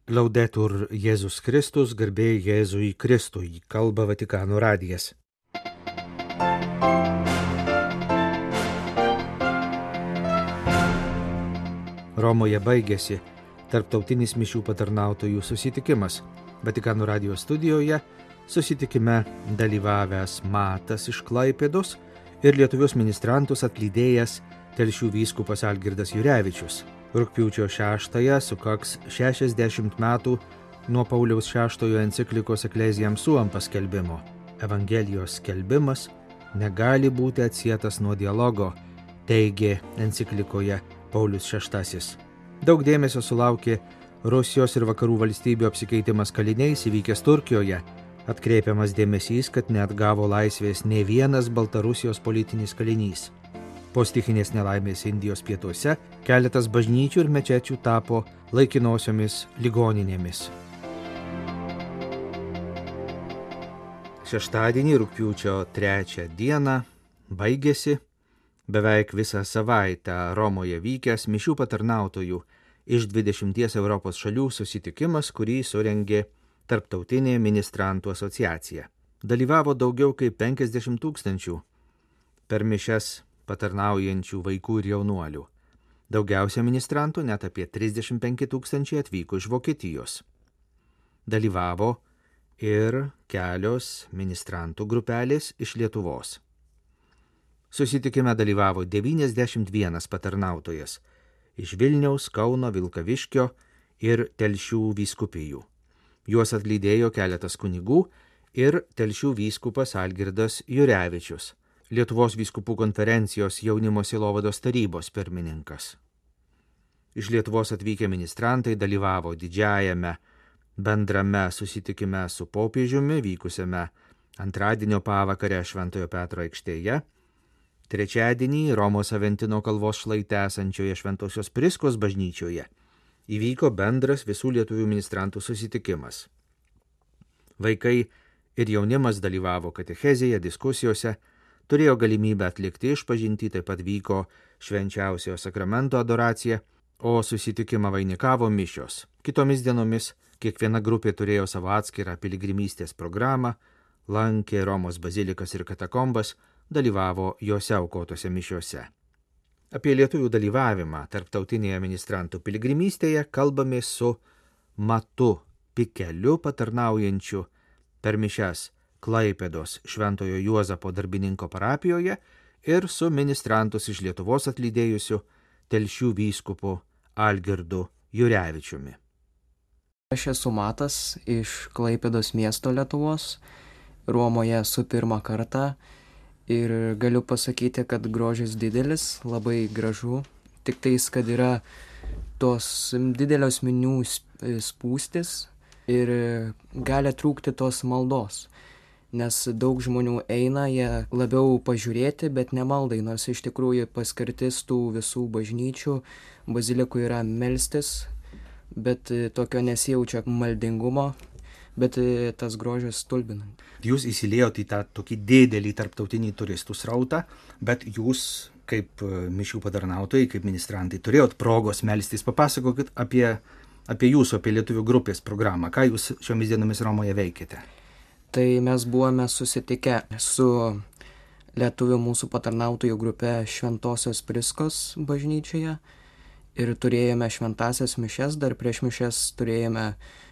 Laudetur Jėzus Kristus, garbė Jėzui Kristui, kalba Vatikano radijas. Romoje baigėsi tarptautinis mišių patarnautojų susitikimas. Vatikano radijos studijoje susitikime dalyvavęs Matas iš Klaipėdos ir lietuvius ministrantus atlydėjęs Telšių vyskupas Algirdas Jurevičius. Rugpjūčio 6-ąją sukaks 60 metų nuo Pauliaus VI enciklikos Ecclesiam Suam paskelbimo. Evangelijos skelbimas negali būti atsietas nuo dialogo, teigė enciklikoje Paulius VI. Daug dėmesio sulaukė Rusijos ir vakarų valstybių apsikeitimas kaliniais įvykęs Turkijoje. Atkreipiamas dėmesys, kad neatgavo laisvės nė vienas Baltarusijos politinis kalinys. Po stichinės nelaimės Indijos pietuose keletas bažnyčių ir mečečių tapo laikinosiomis ligoninėmis. Šeštadienį, rugpjūčio 3 dieną, baigėsi beveik visą savaitę Romoje vykęs mišių patarnautojų iš 20 Europos šalių susitikimas, kurį surengė Tarptautinė ministrantų asociacija. Dalyvavo daugiau kaip 50 000 per mišias patarnaujančių vaikų ir jaunuolių. Daugiausia ministrantų, net apie 35 000, atvyko iš Vokietijos. Dalyvavo ir kelios ministrantų grupelės iš Lietuvos. Susitikime dalyvavo 91 patarnautojas iš Vilniaus, Kauno, Vilkaviškio ir Telšių vyskupijų. Juos atlydėjo keletas kunigų ir Telšių vyskupas Algirdas Jurevičius, Lietuvos vyskupų konferencijos jaunimo sielovados tarybos pirmininkas. Iš Lietuvos atvykę ministrantai dalyvavo didžiajame bendrame susitikime su popiežiumi vykusiame antradienio pavakarę Šventojo Petro aikštėje, trečiadienį Romos Aventino kalvos šlaite esančioje Šventosios Priskos bažnyčioje įvyko bendras visų lietuvių ministrantų susitikimas. Vaikai ir jaunimas dalyvavo katechezėje, diskusijose, turėjo galimybę atlikti išpažintį, taip pat vyko švenčiausiojo sakramento adoracija, o susitikimą vainikavo mišios. Kitomis dienomis kiekviena grupė turėjo savo atskirą piligrimystės programą, lankė Romos bazilikas ir katakombas, dalyvavo jose aukotose mišiose. Apie lietuvių dalyvavimą tarptautinėje ministrantų piligrimystėje kalbamės su Matu Pikeliu patarnaujančiu per mišias Klaipėdos Šventojo Juozapo darbininko parapijoje ir su ministrantus iš Lietuvos atlydėjusiu Telšių vyskupu Algirdu Jurevičiumi. Aš esu Matas iš Klaipėdos miesto Lietuvos, Romoje esu pirmą kartą ir galiu pasakyti, kad grožis didelis, labai gražu, tik tais, kad yra tos didelios minių spūstis ir gali trūkti tos maldos. Nes daug žmonių eina, jie labiau pažiūrėti, bet nemaldai, nors iš tikrųjų paskirtis tų visų bažnyčių, bazilikų yra melstis, bet tokio nesijaučia maldingumo, bet tas grožis stulbina. Jūs įsiliejot į tą tokį didelį tarptautinį turistų srautą, bet jūs kaip mišių patarnautojai, kaip ministrantai, turėjot progos melstis. Papasakokit apie jūsų, apie lietuvių grupės programą. Ką jūs šiomis dienomis Romoje veikėte? Tai mes buvome susitikę su lietuvių mūsų patarnautojų grupe Šventosios Priskos bažnyčioje ir turėjome šventasias mišias, dar prieš mišias turėjome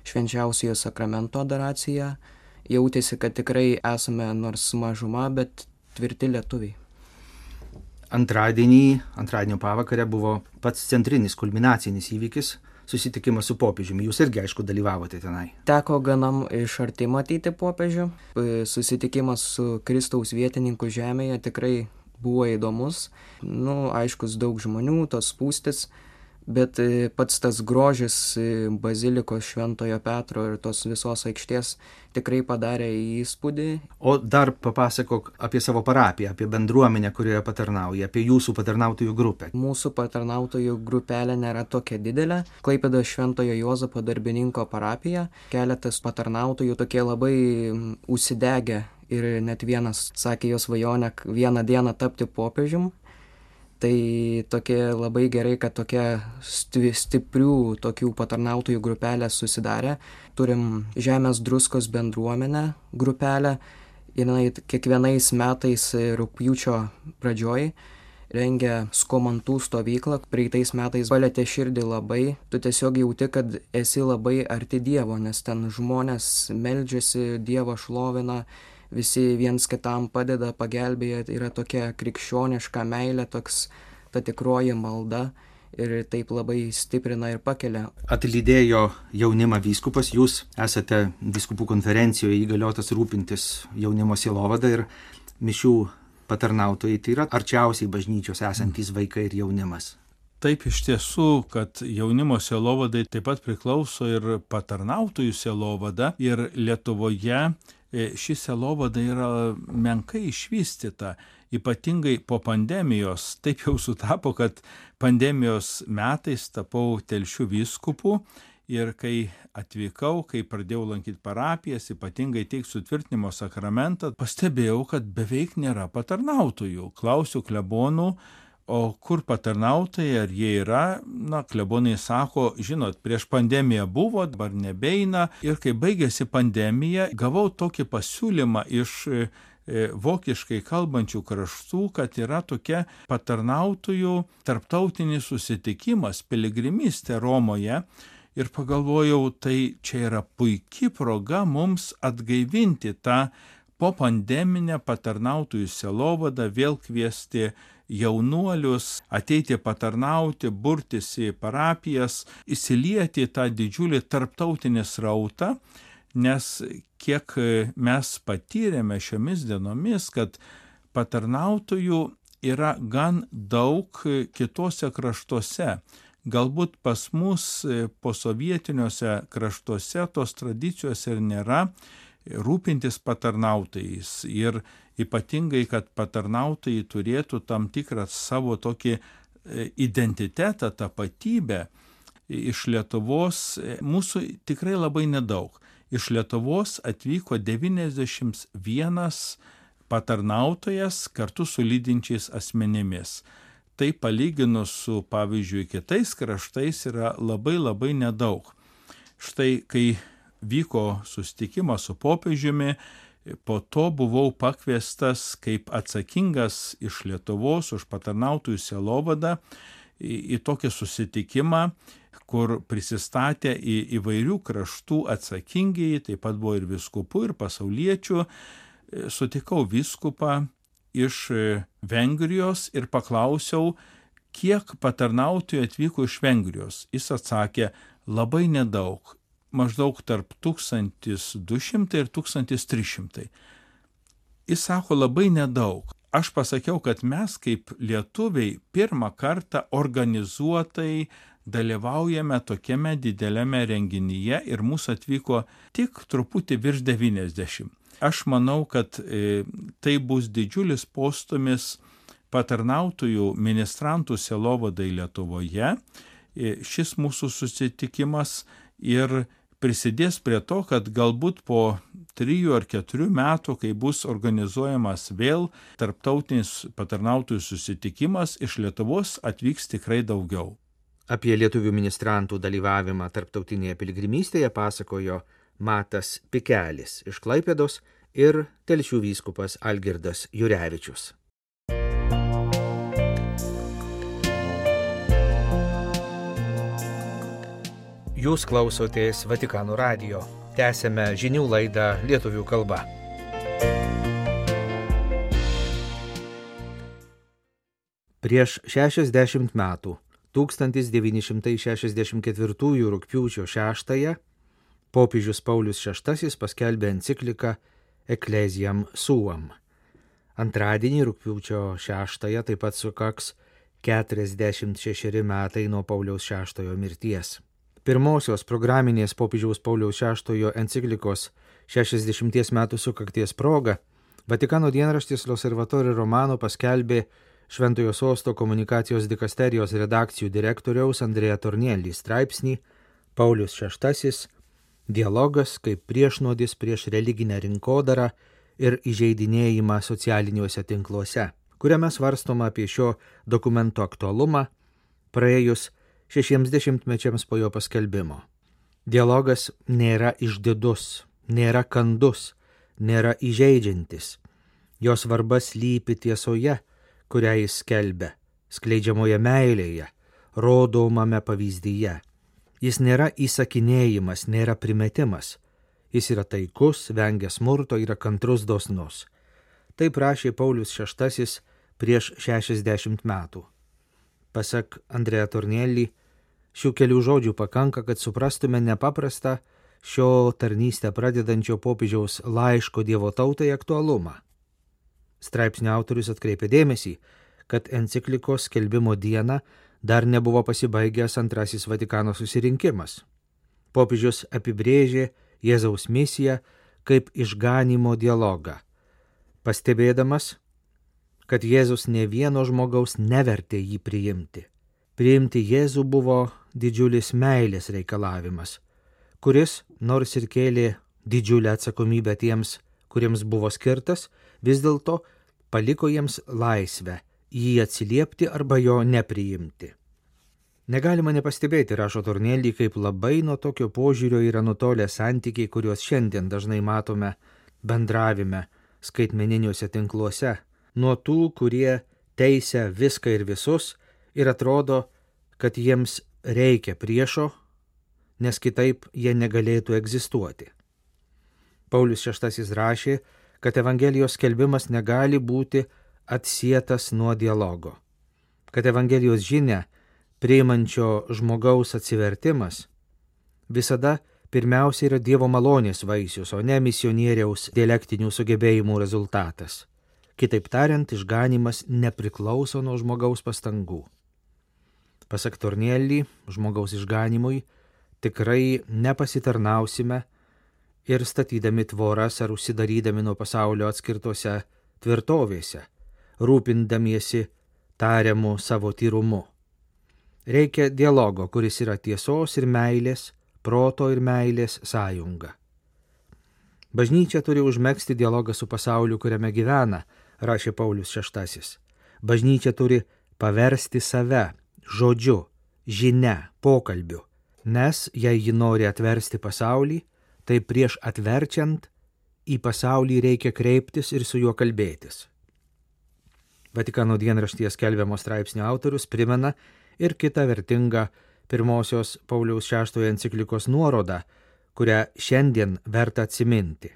švenčiausiojo sakramento adoraciją. Jautėsi, kad tikrai esame nors mažuma, bet tvirti lietuviai. Antradienio pavakarę buvo pats centrinis kulminacinis įvykis, susitikimas su popiežiumi. Jūs irgi, aišku, dalyvavote tenai. Teko ganam iš arti matyti popiežių. Susitikimas su Kristaus vietininku žemėje tikrai buvo įdomus. Aiškus daug žmonių, tos spūstis, bet pats tas grožis bazilikos Šventojo Petro ir tos visos aikštės tikrai padarė įspūdį. O dar papasakok apie savo parapiją, apie bendruomenę, kurioje patarnauja, apie jūsų patarnautojų grupę. Mūsų patarnautojų grupelė nėra tokia didelė. Klaipėdos Šventojo Juozapo darbininko parapija. Keletas patarnautojų tokie labai užsidegę ir net vienas sakė jo svajonę vieną dieną tapti popiežium. Tai tokia labai gerai, kad tokia stiprių tokių patarnautojų grupelė susidarė. Turim Žemės druskos bendruomenę grupelę. Jinai kiekvienais metais rugpjūčio pradžioj rengia skomantų stovyklą. Praeitais metais palietė širdį labai. Tu tiesiog jauti, kad esi labai arti Dievo, nes ten žmonės meldžiasi, Dievą šlovina, visi viens kitam padeda, pagelbėja. Yra tokia krikščioniška meilė, ta tikroji malda ir taip labai stiprina ir pakelia. Atlydėjo jaunimą vyskupas, jūs esate vyskupų konferencijoje įgaliotas rūpintis jaunimo sielovada ir mišių patarnautojai, tai yra arčiausiai bažnyčios esantys vaikai ir jaunimas. Taip iš tiesų, kad jaunimo sielovadai taip pat priklauso ir patarnautojų sielovada, ir Lietuvoje ši sielovada yra menkai išvystyta, ypatingai po pandemijos. Taip jau sutapo, kad pandemijos metais tapau Telšių vyskupu ir kai atvykau, kai pradėjau lankyti parapijas, ypatingai teikt sutvirtinimo sakramentą, pastebėjau, kad beveik nėra patarnautojų. Klausiu klebonų, o kur patarnautojai, ar jie yra? Klebonai sako, žinot, prieš pandemiją buvo, dabar nebeina. Ir kai baigėsi pandemija, gavau tokį pasiūlymą iš vokiškai kalbančių kraštų, kad yra tokia patarnautojų tarptautinis susitikimas, piligrimystė Romoje. Ir pagalvojau, tai čia yra puiki proga mums atgaivinti tą popandeminę patarnautojų sielovadą, vėl kviesti jaunuolius, ateiti patarnauti, burtis į parapijas, įsilieti tą didžiulį tarptautinį srautą, nes kiek mes patyrėme šiomis dienomis, kad patarnautojų yra gan daug kitose kraštuose. Galbūt pas mus posovietiniuose kraštuose tos tradicijos ir nėra rūpintis patarnautojais. Ir ypatingai, kad patarnautojai turėtų tam tikrą savo tokį identitetą, tapatybę. Iš Lietuvos mūsų tikrai labai nedaug. Iš Lietuvos atvyko 91 patarnautojas kartu su lydinčiais asmenimis. Tai palyginus su, pavyzdžiui, kitais kraštais yra labai nedaug. Štai, kai vyko susitikimas su popiežiumi, po to buvau pakviestas kaip atsakingas iš Lietuvos už patarnautojų sielovadą į tokį susitikimą, kur prisistatė į įvairių kraštų atsakingieji, taip pat buvo ir vyskupų, ir pasauliečių. Sutikau vyskupą iš Vengrijos ir paklausiau, kiek patarnautojų atvyko iš Vengrijos. Jis atsakė, labai nedaug, maždaug tarp 1200 ir 1300. Jis sako, labai nedaug. Aš pasakiau, kad mes kaip lietuviai pirmą kartą organizuotai dalyvaujame tokiame dideliame renginyje ir mūsų atvyko tik truputį virš 90. Aš manau, kad tai bus didžiulis postūmis patarnautojų ministrantų sielovadai Lietuvoje. Šis mūsų susitikimas ir prisidės prie to, kad galbūt po 3 ar 4 metų, kai bus organizuojamas vėl tarptautinis patarnautojų susitikimas, iš Lietuvos atvyks tikrai daugiau. Apie lietuvių ministrantų dalyvavimą tarptautinėje piligrimystėje pasakojo Matas Pikelis iš Klaipėdos ir Telšių vyskupas Algirdas Jurevičius. Jūs klausotės Vatikano radijo. Tęsėme žinių laidą lietuvių kalba. Prieš 60 metų, 1964 rugpjūčio 6-ąją, popiežius Paulius VI paskelbė encikliką Ecclesiam Suam. Antradienį rugpjūčio 6-ąją taip pat sukaks 46 metai nuo Pauliaus VI mirties. Pirmosios programinės popiežiaus Pauliaus VI enciklikos 60 metų sukakties proga Vatikano dienraštis L'Osservatore Romano paskelbė Šventojo Sosto komunikacijos dikasterijos redakcijų direktoriaus Andrea Tornielli straipsnį Paulius VI – dialogas kaip priešnuodis prieš religinę rinkodarą ir įžeidinėjimą socialiniuose tinkluose, kuriame svarstoma apie šio dokumento aktualumą praėjus 60 mečiams po jo paskelbimo. Dialogas nėra išdidus, nėra kandus, nėra įžeidžiantis. Jo svarba slypi tiesoje, kurią jis skelbia, skleidžiamoje meilėje, rodomame pavyzdyje. Jis nėra įsakinėjimas, nėra primetimas. Jis yra taikus, vengia smurto, yra kantrus, dosnus. Taip rašė Paulius VI prieš 60 metų. Pasak Andrea Tornielli, šių kelių žodžių pakanka, kad suprastume nepaprastą šio tarnystę pradedančio popiežiaus laiško Dievo tautai aktualumą. Straipsnio autorius atkreipė dėmesį, kad enciklikos skelbimo dieną dar nebuvo pasibaigęs Antrasis Vatikano susirinkimas. Popiežius apibrėžė Jėzaus misiją kaip išganymo dialogą, pastebėdamas, kad Jėzus ne vieno žmogaus nevertė jį priimti. Priimti Jėzų buvo didžiulis meilės reikalavimas, kuris, nors ir kėlė didžiulę atsakomybę tiems, kuriems buvo skirtas, vis dėlto paliko jiems laisvę jį atsiliepti arba jo nepriimti. Negalima nepastebėti, rašo Tornielli, kaip labai nuo tokio požiūrio yra nutolę santykiai, kuriuos šiandien dažnai matome bendravime skaitmeniniuose tinkluose, nuo tų, kurie teisia viską ir visus ir atrodo, kad jiems reikia priešo, nes kitaip jie negalėtų egzistuoti. Paulius VI rašė, kad Evangelijos skelbimas negali būti atsietas nuo dialogo, kad Evangelijos žinia, priimančio žmogaus atsivertimas, visada pirmiausia yra Dievo malonės vaisius, o ne misionieriaus dialektinių sugebėjimų rezultatas. Kitaip tariant, išganymas nepriklauso nuo žmogaus pastangų. Pasak Tornielli, žmogaus išganymui tikrai nepasitarnausime ir statydami tvoras ar užsidarydami nuo pasaulio atskirtose tvirtovėse, rūpindamiesi tariamu savo tyrumu. Reikia dialogo, kuris yra tiesos ir meilės, proto ir meilės sąjunga. Bažnyčia turi užmegzti dialogą su pasauliu, kuriame gyvena, rašė Paulius VI. Bažnyčia turi paversti save žodžiu, žinia, pokalbiu, nes jei ji nori atversti pasaulį, tai prieš atverčiant į pasaulį reikia kreiptis ir su juo kalbėtis. Vatikano dienraštyje skelbiamo straipsnio autorius primena ir kitą vertingą pirmosios Pauliaus VI enciklikos nuorodą, kurią šiandien verta atsiminti.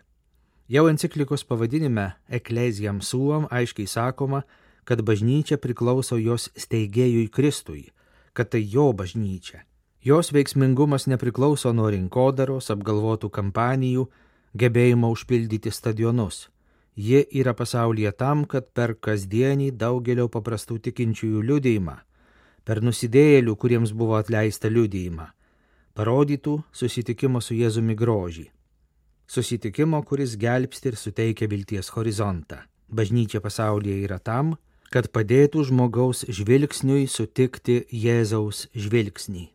Jau enciklikos pavadinime Ecclesiam Suam aiškiai sakoma, kad bažnyčia priklauso jos steigėjui Kristui, kad tai jo bažnyčia. Jos veiksmingumas nepriklauso nuo rinkodaros, apgalvotų kampanijų, gebėjimo užpildyti stadionus. Ji yra pasaulyje tam, kad per kasdienį daugelio paprastų tikinčiųjų liudijimą, per nusidėjėlių, kuriems buvo atleista liudijimą, parodytų susitikimo su Jėzumi grožį. Susitikimo, kuris gelbsti ir suteikia vilties horizontą. Bažnyčia pasaulyje yra tam, kad padėtų žmogaus žvilgsniui sutikti Jėzaus žvilgsnį.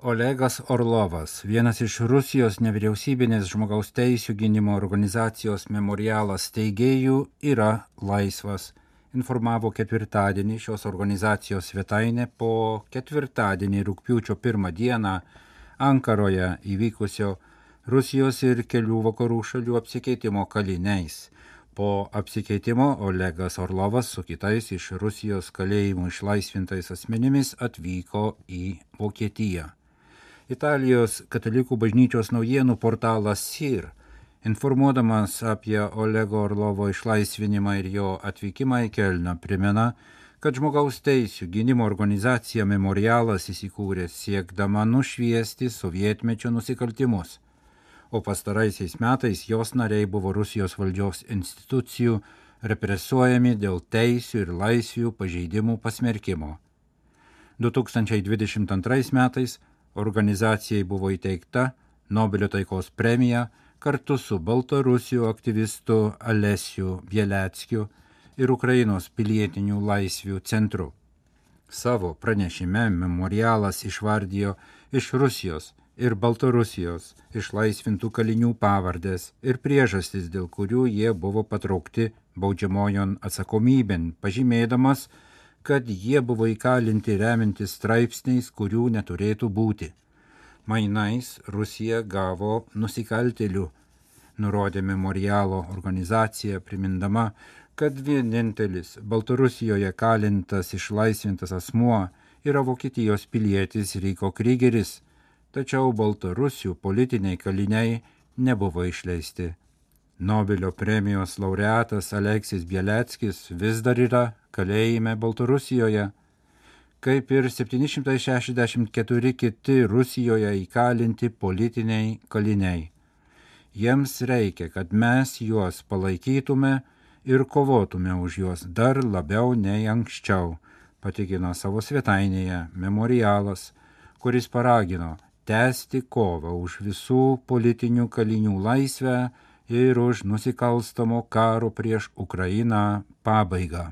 Olegas Orlovas, vienas iš Rusijos nevyriausybinės žmogaus teisių gynimo organizacijos Memorialas steigėjų, yra laisvas, informavo ketvirtadienį šios organizacijos svetainė po ketvirtadienį rugpjūčio 1 dieną Ankaroje įvykusio Rusijos ir kelių vakarų šalių apsikeitimo kaliniais. Po apsikeitimo Olegas Orlovas su kitais iš Rusijos kalėjimų išlaisvintais asmenimis atvyko į Vokietiją. Italijos katalikų bažnyčios naujienų portalas SIR, informuodamas apie Olego Orlovo išlaisvinimą ir jo atvykimą į Kelną, primena, kad žmogaus teisių gynimo organizacija Memorialas įsikūrė siekdama nušviesti sovietmečio nusikaltimus, o pastaraisiais metais jos nariai buvo Rusijos valdžios institucijų represuojami dėl teisių ir laisvių pažeidimų pasmerkimo. 2022 metais organizacijai buvo įteikta Nobelio taikos premija kartu su Baltarusių aktyvistu Alesiu Bieleckiu ir Ukrainos pilietinių laisvių centru. Savo pranešime Memorialas išvardijo iš Rusijos ir Baltarusijos išlaisvintų kalinių pavardės ir priežastis, dėl kurių jie buvo patraukti baudžiamojon atsakomybėn, pažymėdamas, kad jie buvo įkalinti remintis straipsniais, kurių neturėtų būti. Mainais Rusija gavo nusikaltėlių, nurodė memorialo organizacija, primindama, kad vienintelis Baltarusijoje kalintas išlaisvintas asmuo yra Vokietijos pilietis Ryko Krygeris, tačiau Baltarusių politiniai kaliniai nebuvo išleisti. Nobelio premijos laureatas Aleksis Bieleckis vis dar yra kalėjime Baltarusijoje, kaip ir 764 kiti Rusijoje įkalinti politiniai kaliniai. Jiems reikia, kad mes juos palaikytume ir kovotume už juos dar labiau nei anksčiau, patikino savo svetainėje Memorialas, kuris paragino tęsti kovą už visų politinių kalinių laisvę ir už nusikalstamo karo prieš Ukrainą pabaigą.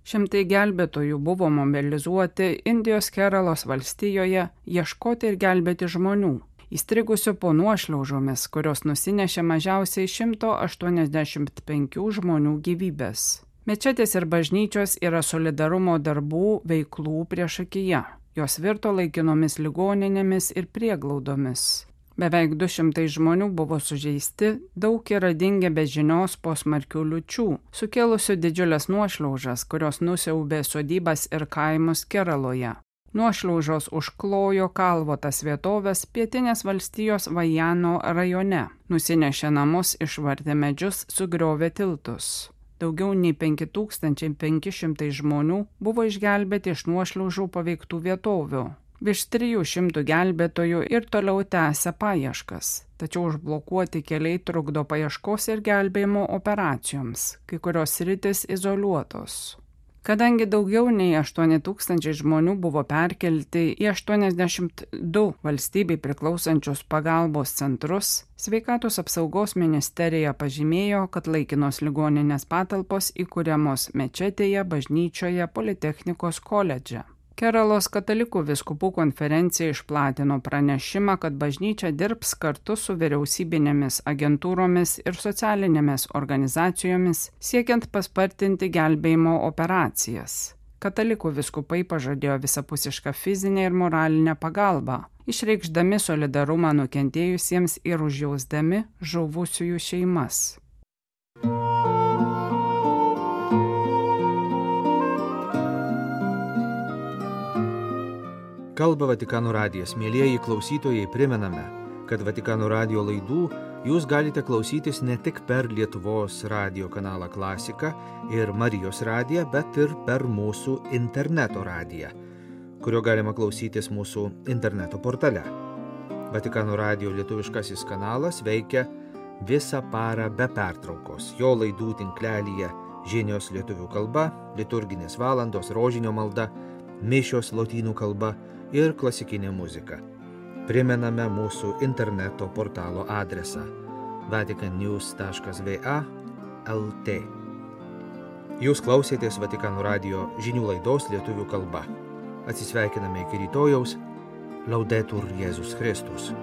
Šimtai gelbėtojų buvo mobilizuoti Indijos Keralos valstijoje ieškoti ir gelbėti žmonių, įstrigusių po nuošliaužomis, kurios nusinešė mažiausiai 185 žmonių gyvybės. Mečetės ir bažnyčios yra solidarumo darbų veiklų priešakyje. Jos virto laikinomis ligoninėmis ir prieglaudomis. Beveik 200 žmonių buvo sužeisti, daug yra dingę be žinios po smarkių liūčių, sukėlusių didžiulės nuošliaužas, kurios nusiaubė sodybas ir kaimus Keraloje. Nuošliaužos užklojo kalvotas vietovės pietinės valstijos Vajano rajone, nusinešė namus, išvartė medžius, sugriovė tiltus. Daugiau nei 5500 žmonių buvo išgelbėti iš nuošliaužų paveiktų vietovių. Virš 300 gelbėtojų ir toliau tęsia paieškas, tačiau užblokuoti keliai trukdo paieškos ir gelbėjimo operacijoms, kai kurios sritys izoliuotos. Kadangi daugiau nei 8000 žmonių buvo perkelti į 82 valstybei priklausančius pagalbos centrus, Sveikatos apsaugos ministerija pažymėjo, kad laikinos ligoninės patalpos įkuriamos mečetėje, bažnyčioje, Politechnikos koledže. Keralos katalikų vyskupų konferencija išplatino pranešimą, kad bažnyčia dirbs kartu su vyriausybinėmis agentūromis ir socialinėmis organizacijomis, siekiant paspartinti gelbėjimo operacijas. Katalikų vyskupai pažadėjo visapusišką fizinę ir moralinę pagalbą, išreikšdami solidarumą nukentėjusiems ir užjausdami žuvusiųjų šeimas. Kalba Vatikano radijas. Mielieji klausytojai, primename, kad Vatikano radijo laidų jūs galite klausytis ne tik per Lietuvos radijo kanalą Klasika ir Marijos radiją, bet ir per mūsų interneto radiją, kurio galima klausytis mūsų interneto portale. Vatikano radijo lietuviškasis kanalas veikia visą parą be pertraukos. Jo laidų tinklelyje žinios lietuvių kalba, liturginės valandos, rožinio malda, mišios lotynų kalba ir klasikinė muzika. Primename mūsų interneto portalo adresą vaticannews.va/lt. Jūs klausėtės Vatikano radijo žinių laidos lietuvių kalba. Atsisveikiname iki rytojaus. Laudetur Jėzus Kristus.